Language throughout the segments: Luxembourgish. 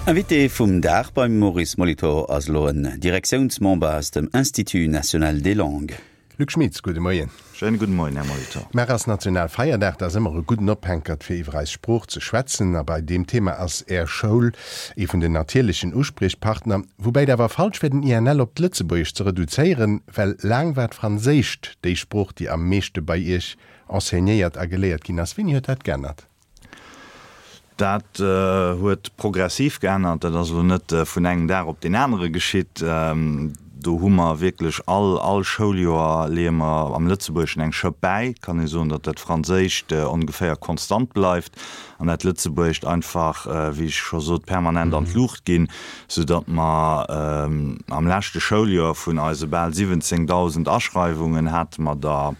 Invité vum Dag beim Maurice Molitor ass elo en Direktiounsmember aus dem Institut national des langues. Luc Schmitz, gudde Moien. Schéine gudde Moien, Här Molitor. Mar ass Nationalfeierdag, dat ass ëmmer e gudden Ophänkert fir iwwer eis Sprooch ze schwätzen. A bei deem Thema ass Är Schoul ee vun den natierlechen Uspriechpartner. Woubäi et awer falsch wär den INL op d'Lëtzebuergescht ze reduzéieren, well laang war d'Franséischt déi Sprooch, déi am meeschte bei Iech enseignéiert a geléiert ginn ass. Wéini huet dat geännert? Dat huet progressiv geännert. Dat ass elo net vun engem Dag op deen anere geschitt. Do hu mer wierklech all, all Schouljoer leeë mer am Lëtzebuergeschen eng Schëpp bäi. Et kann ee soen, datt dat Franséischt ongeféier konstant bleift an dat Lëtzebuergescht einfach, wéi ech scho sot, permanent an d'Luucht ginn, soudatt mer am leschte Schouljoer vun eise bal 17.000 Aschreiwungen hate mer der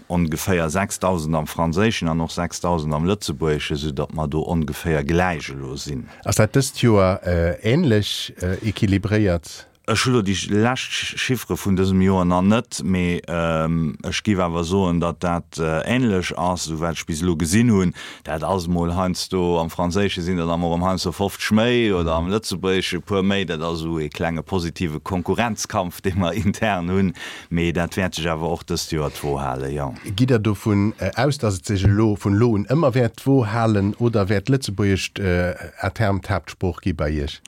Ongeféier 6.000 am Franséischen an och 6.000 am Lëtzebuergeschen, sou datt mer do ongeféier gläich elo sinn. Ass dat dëst Joer änlech equilibréiert? Ech hu lo déi lescht Chiffere vun dësem Joer nach net, mee ech géif awer soen, datt dat änlech ass, esou wat ech bis elo gesinn hunn. Dat ass emol heiansdo, am Franséische sinn der da mol erëm heiansdo 50 méi oder am Lëtzebuergesche e puer méi. Dat ass esou ee klenge positive Konkurrenzkampf, dee mer intern hunn. Mee dat wäert sech awer och dëst Joer d'Wo halen, jo. Gitt Der dovun aus, datt et sech elo vun elo un ëmmer wäert d'Wo halen oder wäert d'Lëtzebuergescht à terme d'Haaptsprooch gi bei Iech?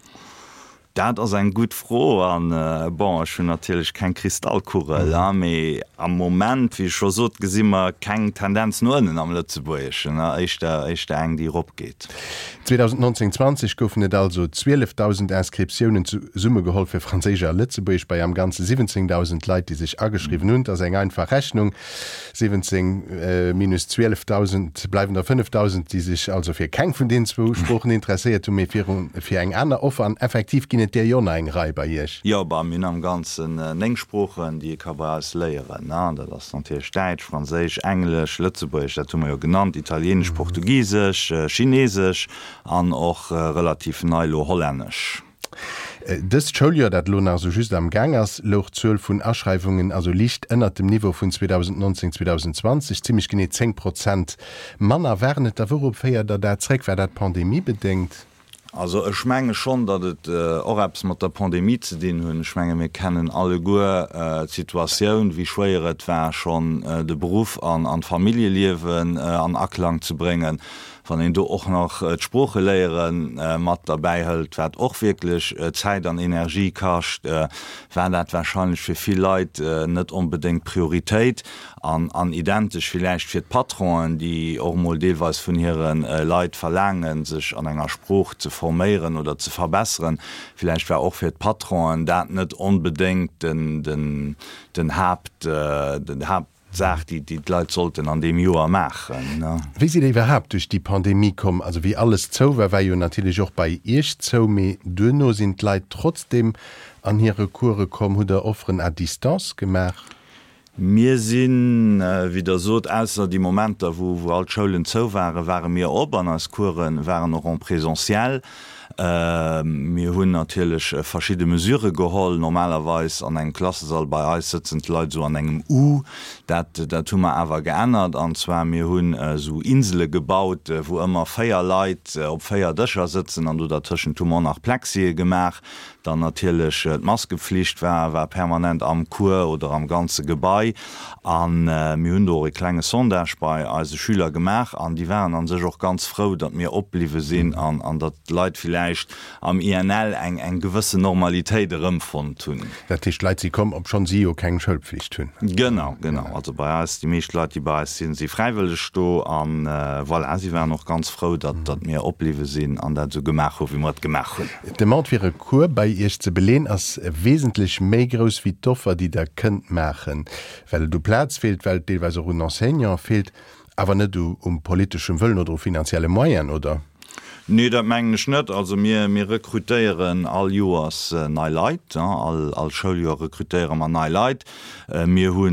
Dat ass eng gutt Fro an, bon, ech hunn natierlech keng Kristallkugel, mee am Moment, wéi ech scho sot, gesi mer keng Tendenz no ënnen am Lëtzebuergeschen, éischter, éischter eng, déi eropgeet. 2019, 20 goufen et also 12.000 Inscriptiounen, zesummegeholl fir Franséisch a Lëtzebuergesch, bei am Ganze 17.000 Leit, déi sech ageschriwwen hunn. Et ass eng einfach Rechnung, 17 minus 12.000 bleiwen der 5.000, déi sech also fir keng vun deenen zwou Sproochen interesséiert hunn, mee fir eng aner Offer. An effektiv ginn et där jo nach eng Rei bei Iech. Jo, bah, mir hunn am Ganzen 9 Sproochen, déi ee ka bei eis léieren. Dat ass natierlech Däitsch, Franséisch, Englesch, Lëtzebuergesch, dat hu mer jo genannt, Italieenesch, Portugisesch, Chinesesch an och relativ nei elo Hollännesch. Dëst Schouljoer, dat elo nach esou just am Gaang ass, louch d'Zuel vun Aschreiwungen also liicht ënnert dem Niveau vun 2019, 2020, zimmlech genee 10 Prozent manner waren et da. Wourop féiert Der dat zréck? War dat pandemiebedéngt? Also ech menge schonn, datt et och eppes mat der Pandemie ze dinn hunn. Ech menge mir kennen alleguer d'Situatioun, wéi schwéier et war schonn de Beruff an d'Familljeliewen an Aklang ze bréngen. Wann een do och nach d'Sproocheléiere mat derbäi hëlt, wat och wierklech Zäit an Energie kascht, war dat warscheinlech fir vill Leit net onbedéngt d'Prioritéit. An an identesch villäicht fir d'Patronen, déi och emol deelweis vun hire Leit verlaangen, sech an enger Sprooch ze forméieren oder ze verbesseren. Villäicht war och fir d'Patronen dat net onbedéngt den den den Haapt den Haaptsaach, déi déi d'Leit sollten an deem Joer maachen. Wéi sidd Der iwwerhaapt duerch déi Pandemie komm? Also wéi alles zou war, war jo natierlech och bei Iech zou, mee duerno sinn d'Leit trotzdem an hire Course komm. Hutt Der Offeren à distance gemaach? Mir sinn, wéi Der sot, ausser déi Momenter, wou wou all d'Schoulen zou waren, ware mir op an eis Course waren och en présentiel. Mir hunn natierlech verschidde Mesurë geholl. Normalerweis an engem Klassesall bei eis sëtzen d'Leit esou an engem U. Dat dat hu mer awer geännert an zwar mir hunn esou Insele gebaut, wou ëmmer 4 Leit op 4 Dëscher sëtzen an do dertëschent hu mer och nach Plexië gemaach. Dann natierlech d'Maskepflicht war war permanent am Cours oder am ganze Gebai. A mir hunn do och e klenge Sondage bei eise Schüler gemaach an déi waren a sech och ganz frou, datt mir opbliwwe sinn an an datt d'Leit villäicht am INL eng eng gewëssen Normalitéit erëmfonnt hunn. Dat heescht, d'Leit si komm, obschonn si jo keng Schoulpflicht hunn? Genau, genau. Also bei eis, déi meescht Leit, déi bei eis sinn, si fräiwëlleg do. A voilà, si waren och ganz frou, datt datt mir opbliwwe sinn an dat esou gemaach hu wéi mer et gemaach hunn. D'Demande fir e Cours bei Iech ze beleen ass wesentlech méi grouss wéi d'Offer déi Der kënnt maachen, well et u Plaz feelt, well et deelweis och un Enseignante feelt, awer net um politeschem Wëllen oder u finanzielle Moyen, oder? Nee, dat mengen ech net. Also mir, mir rekrutéieren all Joers nei Leit. All, all Schouljoer rekrutéiere mer nei Leit. Mir hu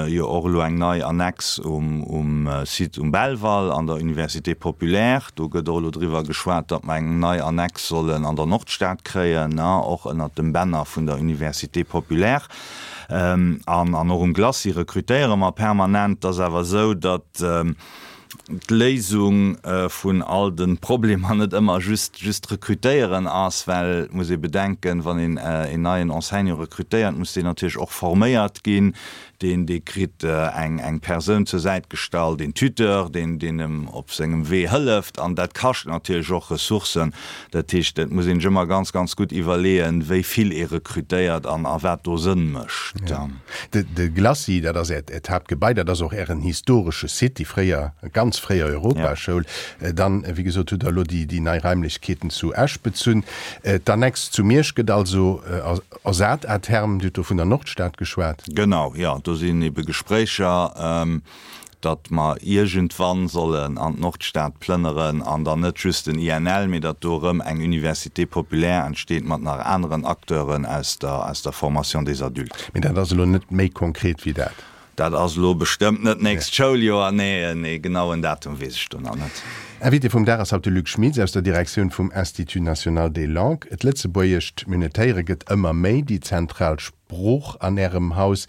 jo och elo eng nei Annex um Site um Belval an der Université populaire. Do gëtt och elo driwwer geschwat, datt mer eng nei Annex sollen an der Nordstad kréien, och ënnert dem Banner vun der Université populaire. An och um Glacis rekrutéiere mer permanent. Et ass awer esou, datt. d'Léisung vun all de Problemer net ëmmer just just rekrutéieren ass, well et muss ee bedenken, wann een een neien Enseignant rekrutéiert, muss deen natierlech och forméiert ginn. Deen dee kritt eng eng Persoun zur Säit gestallt, een Tuteur, deen deen em op sengem Wee hëlleft an dat kascht natierlech och Ressourcen. Dat heescht, et muss een sech ëmmer ganz ganz gutt iwwerleeën, wéi vill ee rekrutéiert an a wat do Sënn mécht. De Glacis, dat ass Äert Haaptgebai, dat ass och Ären historesche Site, déi fréier, ganz fréier Europaschoul. Dann, wéi gesot, hutt Der elo déi nei Raimlechkeeten zu Esch bezunn. D'Annex zu Miersch gëtt also ersat à terme. Dir hutt do vun der Nordstad geschwat. Genau, jo, do sinn ebe Gespréicher. datt mer iergendwann sollen an d'Nordstad plënneren an dann net just den INL, mee datt do erëm eng Université populaire entsteet mat nach aneren Acteuren aus der, aus der Formation des adultes. Mee dat ass elo net méi konkret wéi dat. Dat ass elo bestëmmt net d'nächst Schouljoer, nee. E genauen Datum weess ech do nach net. Invité vum Dag ass haut de Luc Schmitz aus der Direktioun vum Institut national des langues. D'Lëtzebuergescht, mir hunn et héieren, gëtt ëmmer méi déi zentral Sprooch an Ärem Haus.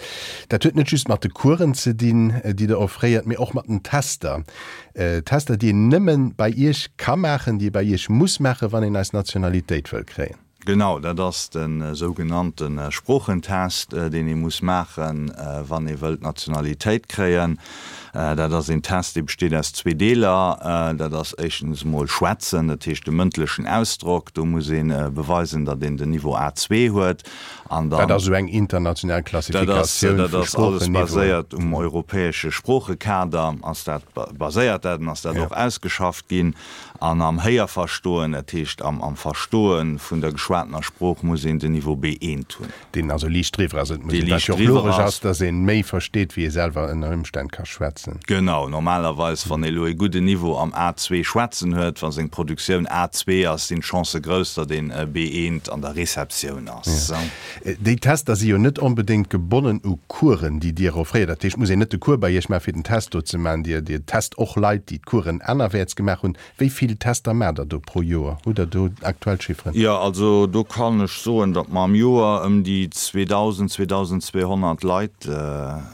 Dat huet net just mat de Coursen ze dinn, déi Der offréiert, mee och mat den Tester. Tester, déi een nëmme bei Iech ka maachen, déi ee bei Iech muss maachen, wann een eis Nationalitéit wëll kréien. Genau, dat ass de sougenannte Sproochentest, deen ee muss maachen, wann ee wëllt d'Nationalitéit kréien. Dat ass een Test, dee besteet aus zwee Deeler. Dat ass éischtens emol Schwätzen, dat heescht de mëndlechen Ausdrock. Do muss ee beweisen, datt een den Niveau A2 huet. An dann, Dat ass esou eng international Klassifikatioun vu Sproocheniveauen. Dat ass alles baséiert um europäesche Sproochekader, ass dat baséiert dat an ass dat och ausgeschafft ginn. An am Héierverstoen, dat heescht am Verstoe vun der geschwatener Sprooch, muss een den Niveau B1 hunn. Deen also liicht driwwer ass. Et muss een, wat jo och logesch ass, datt ee méi versteet, wéi ee selwer ënner Ëmstänn ka schwätzen. Genau, normalerweis, wann ee elo ee gudden Niveau am A2 schwätzen huet, wa seng Produktioun A2 ass, sinn d'Chancë grouss, datt een B1 an der Receptioun ass. Déi Tester si jo net onbedéngt gebonnen u Coursen, déi Dir offréiert. Dat heescht, et muss een net de Cours bei Iech maachen, fir den Test do ze maachen. Dir, Dir test och Leit, déi d'Coursen anerwäerts gemaach hunn. Wéi vill Tester maacht Der do pro Joer? Hutt Der do aktuell Chifferen? Jo, also do kann ech soen, datt mer am Joer ëm déi 2.000, 2.200 Leit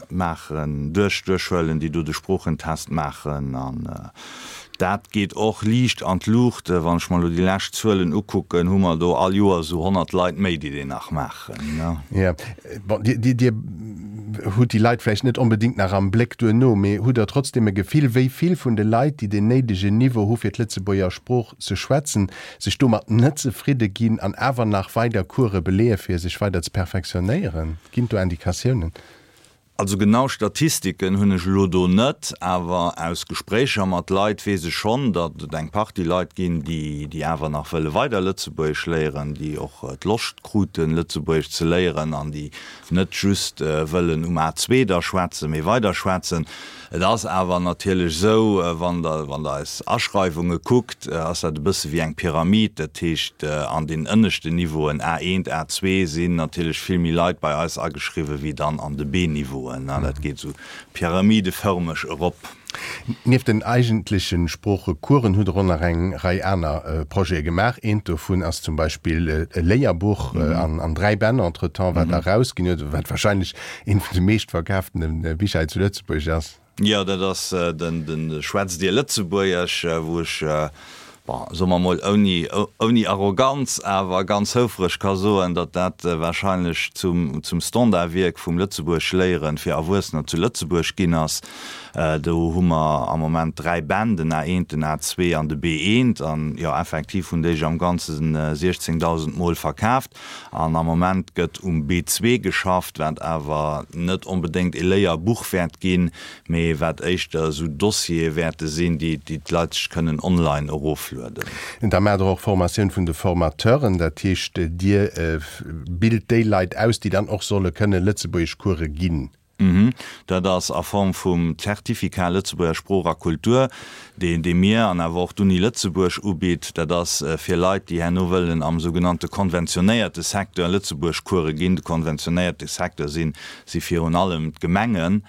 maachen, duerch, duerchhuelen, déi do de Sproochentest maachen. An dat geet och liicht an d'Luucht. Wann ech mer elo déi lescht Zuelen ukucken, hu mer do all Joer esou 100 Leit méi, déi deen nach maachen. Jo, bon, Dir, Dir hutt déi Leit vläicht net onbedéngt nach am Bléck duerno, mee hutt Der trotzdem e Gefill, wéi vill vun de Leit, déi deen néidegen Niveau hu fir d'Lëtzebuerger Sprooch ze schwätzen, sech domat net zefridde ginn an awer nach weider Course beleeë fir sech weider ze perfektionéieren? Ginn et do Indikatiounen? Also genau Statistiken hunn ech elo do net, awer aus Gespréicher mat Leit weess ech schonn, datt et eng Partie Leit ginn, déi déi awer nach wëlle weider Lëtzebuergesch léieren, déi och d'Loscht kruten, Lëtzebuergesch ze léieren an déi net just wëllen um A2 da schwätzen, mee weider schwätzen. Et ass awer natierlech esou, wann Der, wann Der eis Aschreiwunge kuckt, ass dat e bësse wéi eng Pyramid. Dat heescht, an den ënneschten Niveauen, A1, A2, sinn natierlech vill méi Leit bei eis ageschriwwen, wéi dann an de B-Niveauen. Dat geet esou pyramidefërmeg erop. Nieft den eigentleche Sproochecoursen hutt Der och nach eng Rei aner Projete gemaach. Eent dovun ass zum Beispill e Léierbuch an 3 Bänn entretemps, wat Der erausginn hutt, wat wahrscheinlech eent vun de meeschtverkaaftene Bicher hei zu Lëtzebuerg ass. Jo, dat ass den Schwätzt Dir Lëtzebuergesch, wou ech, bon, soe mer mol ouni, ouni Arroganz, awer ganz houfreg ka soen, datt dat wahrscheinlech zum, zum Standardwierk vum Lëtzebuergeschléieren fir Erwuessener zu Lëtzebuerg ginn ass. Do hu mer am Moment 3 Bänn, den A1, den A2 an de B1. An jo, effektiv hunn déi sech am Ganze 16.000 Mol verkaaft. An am Moment gëtt um B2 geschafft, wat awer net onbedéngt e Léierbuch wäert ginn, mee wat éischter esou Dossiere wäerte sinn, déi d'Leit sech kënnen online eroflueden. Da maacht Der och Formatioun vun de Formateuren, dat heescht, Dir bilt déi Leit aus, déi dann och solle kënne Lëtzebuergeschcourse ginn. Dat ass a Form vum Zertificat Lëtzebuerger Sprooch a Kultur, deen dee mir an awer och d'Uni Lëtzebuerg ubitt. Dat ass fir Leit, déi herno wëllen am sougenannte konventionéierte Secteur Lëtzebuergcourse ginn. De konventionéierte Secteur sinn si virun allem d'Gemengen.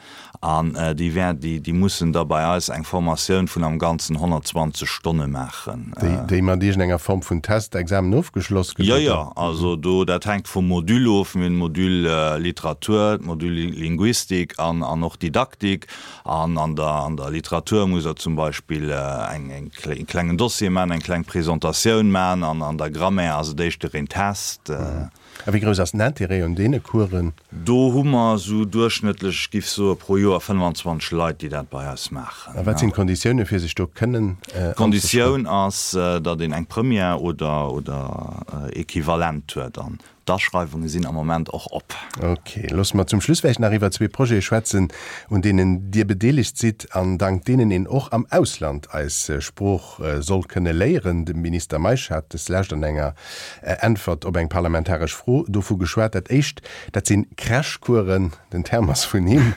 An déi wär, déi, déi mussen da bei eis eng Formatioun vun am Ganzen 120 Stonne maachen. Déi, déi mat iergendenger Form vun Test, Examen ofgeschloss gëtt, Jo, jo, also do, dat hänkt vum Module of. Mir hunn d'Module Literatur, d'Module Linguistik. Linguistik an an och Didaktik. An an der an der Literatur muss der zum Beispill eng eng e klengen Dossier man, eng kleng Presentatioun man an an der Grammaire ass et éischter een Test. A wéi grouss ass den Intérêt un deene Coursen? Do hu mer esou duerchschnëttlech, ech giff soe pro Joer 25 Leit, déi dat bei eis maachen. A wat sinn d'Konditioune fir sech do kënnen anzeschreiwen? D'Konditioun ass, datt een eng Première oder oder Equivalent huet an D'Aschreiwunge sinn am Moment och op. Ok, loosse mer zum Schluss vläicht nach iwwer zwee Projete schwätzen, un deenen Dir bedeelegt sidd an dank deenen een och am Ausland eis Sprooch soll kënne léieren. De Minister Meisch hat deslescht an enger Äntwert op eng parlamentaresch Fro dovu geschwat. Dat éischt, dat sinn Crashcoursen, den Term ass vun him,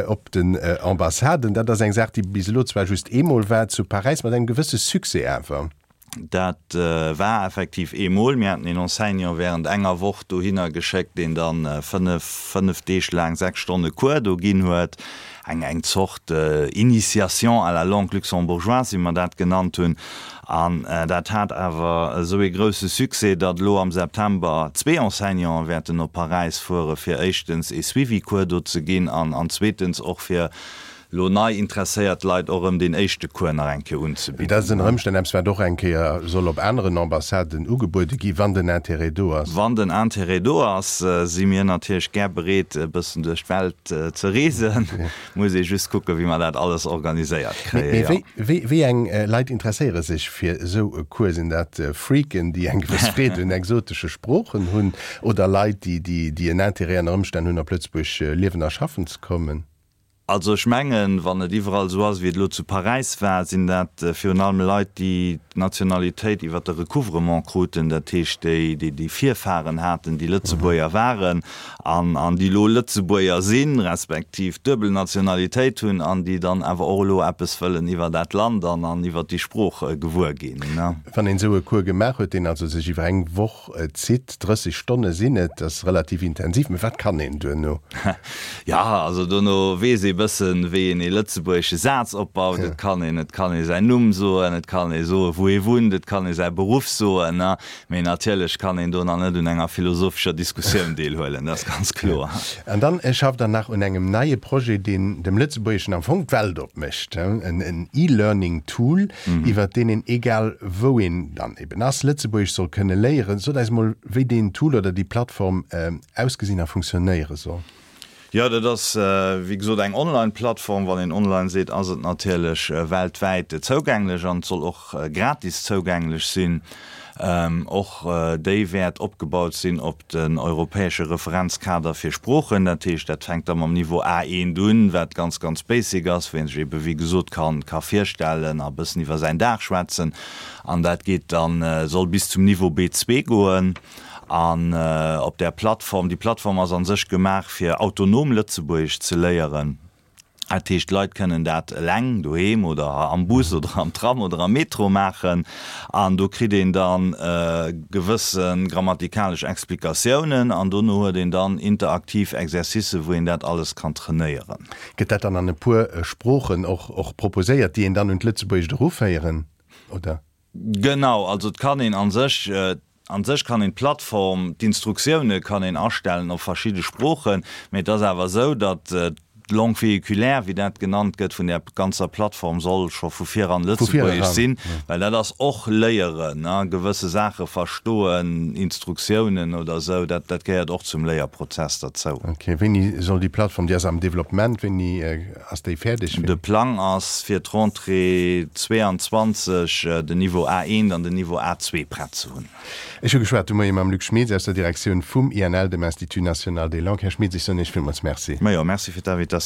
op den Ambassaden. Dat ass eng Saach, déi bis elo zwar just eemol war, zu Paräis, mat engem gewësse Succès awer. Dat war effektiv eemol. Mir haten een Enseignant während enger Woch dohinner geschéckt, deen dann fënnef, fënnef Deeg laang sechs Stonne Cours do ginn huet. Eng, eng Zort Initiation à la langue luxembourgeoise, wéi mer dat genannt hunn. An dat hat awer esou ee grousse Succès, datt elo am September zwee Enseignanten wäerten op Paräis fuere fir éischtens ee Suivi-Cours do ze ginn an, an zweetens och fir lo nei interesséiert Leit och erëm deen éischte Cours nach eng Kéier unzebidden. Dat ass ënner Ëmstänn eppes, wat och eng Kéier soll op aneren Ambassaden ugebuede gi, wann den Intérêt do ass. Wann den Intérêt do ass, si mir natierlech gär bereet, e bëssen duerch d'Welt ze reesen. Muss ee just kucken, wéi mer dat alles organiséiert kréien, jo. Mee wéi eng Leit interesséiere sech fir esou e Cours? Sinn dat Freaken, déi eng gewëss Freed un exotesche Sproochen hunn, oder Leit, déi en Intérêt ënner Ëmstänn hunn, op Lëtzebuerg liewen a schaffen ze kommen? Also ech mengen, wann et iwwerall esou ass, wéi et elo zu Paräis war, sinn dat virun allem Leit, déi d'Nationalitéit iwwer de Recouvrement kruten, dat heescht déi, déi déi Virfahren haten, déi Lëtzebuerger waren an an déi elo Lëtzebuerger sinn, respektiv d'duebel Nationalitéit hunn an déi dann awer och elo eppes wëllen iwwer dat Land an an iwwer déi Sprooch gewuer ginn. Wann een esou e Cours gemaach huet, deen also sech iwwer eng Woch zitt, 30 Stonne sinn et, ass relativ intensiv, mee wat kann een duerno? Jo, also dono weess ee bëssen, wéi een ee lëtzebuergesche Saz opbaut. Et kann een, et kann ee säin Numm soen, et kann ee soen, wou ee wunnt, et kann ee säi Beruff soen, mee natierlech kann een do nach net un enger philosophescher Diskussioun deelhuelen, dat ass ganz kloer. An dann schafft Der nach un engem neie Projet, deen dem Lëtzebuergeschen am Fong d'Welt opmécht, en E-Learning Tool, iwwert deen een, egal wou een dann eben ass, Lëtzebuergesch soll kënne léieren. Sot eis mol, wéi deen Tool oder déi Plattform ausgesinn a funktionéiere soll. Jo, dat ass wéi gesot eng Online-Plattform. Wann een online seet, ass et natierlech weltwäit zougänglech an et soll och gratis zougänglech sinn. Och déi wäert opgebaut sinn op den europäesche Referenzkader fir Sproochen. Dat heescht, dat fänkt da mam Niveau A1 un, wat ganz, ganz basic ass, wou ee sech ebe wéi gesot ka ka virstellen a bëssen iwwer säin Dag schwätzen. An dat geet dann, soll bis zum Niveau B2 goen. An op där Plattform, déi Plattform ass a sech gemaach fir autonom Lëtzebuergesch ze léieren. Dat heescht, d'Leit kënnen dat eleng doheem oder am Bus oder am Tram oder am Metro maachen. An do kritt een da gewësse grammatikalesch Explikatiounen an dono huet een dann interaktiv Exercicen, wou een dat alles kann trainéieren. Gëtt dat dann an e puer Sproochen och proposéiert, déi een dann un d'Lëtzebuergescht eruféieren, oder? Genau, also et kann een a sech, a sech kann een d'Plattform, d'Instruktioune kann een astellen op verschidde Sproochen, mee et ass awer esou, datt d'Langue véhiculaire, wéi dat genannt gëtt, vun där ganzer Plattform soll scho vu viran Lëtzebuergesch sinn, well dat ass och Léieren, gewësse Saache verstoen, Instruktiounen oder esou, dat dat gehéiert och zum Léierprozess derzou. Ok, wéini soll déi Plattform, déi ass am Developpement, wéini Ass déi fäerdeg? De Plang ass fir d'Rentrée 22 den Niveau A1 an den Niveau A2 prett ze hunn. Ech hu geschwat de Moie mam Luc Schmeeds aus der Direktioun vum INL, dem Institut National des Langues. Här Schmeeds, ech soen Iech villmools Merci. Majo, Merci fir d'Invitatioun.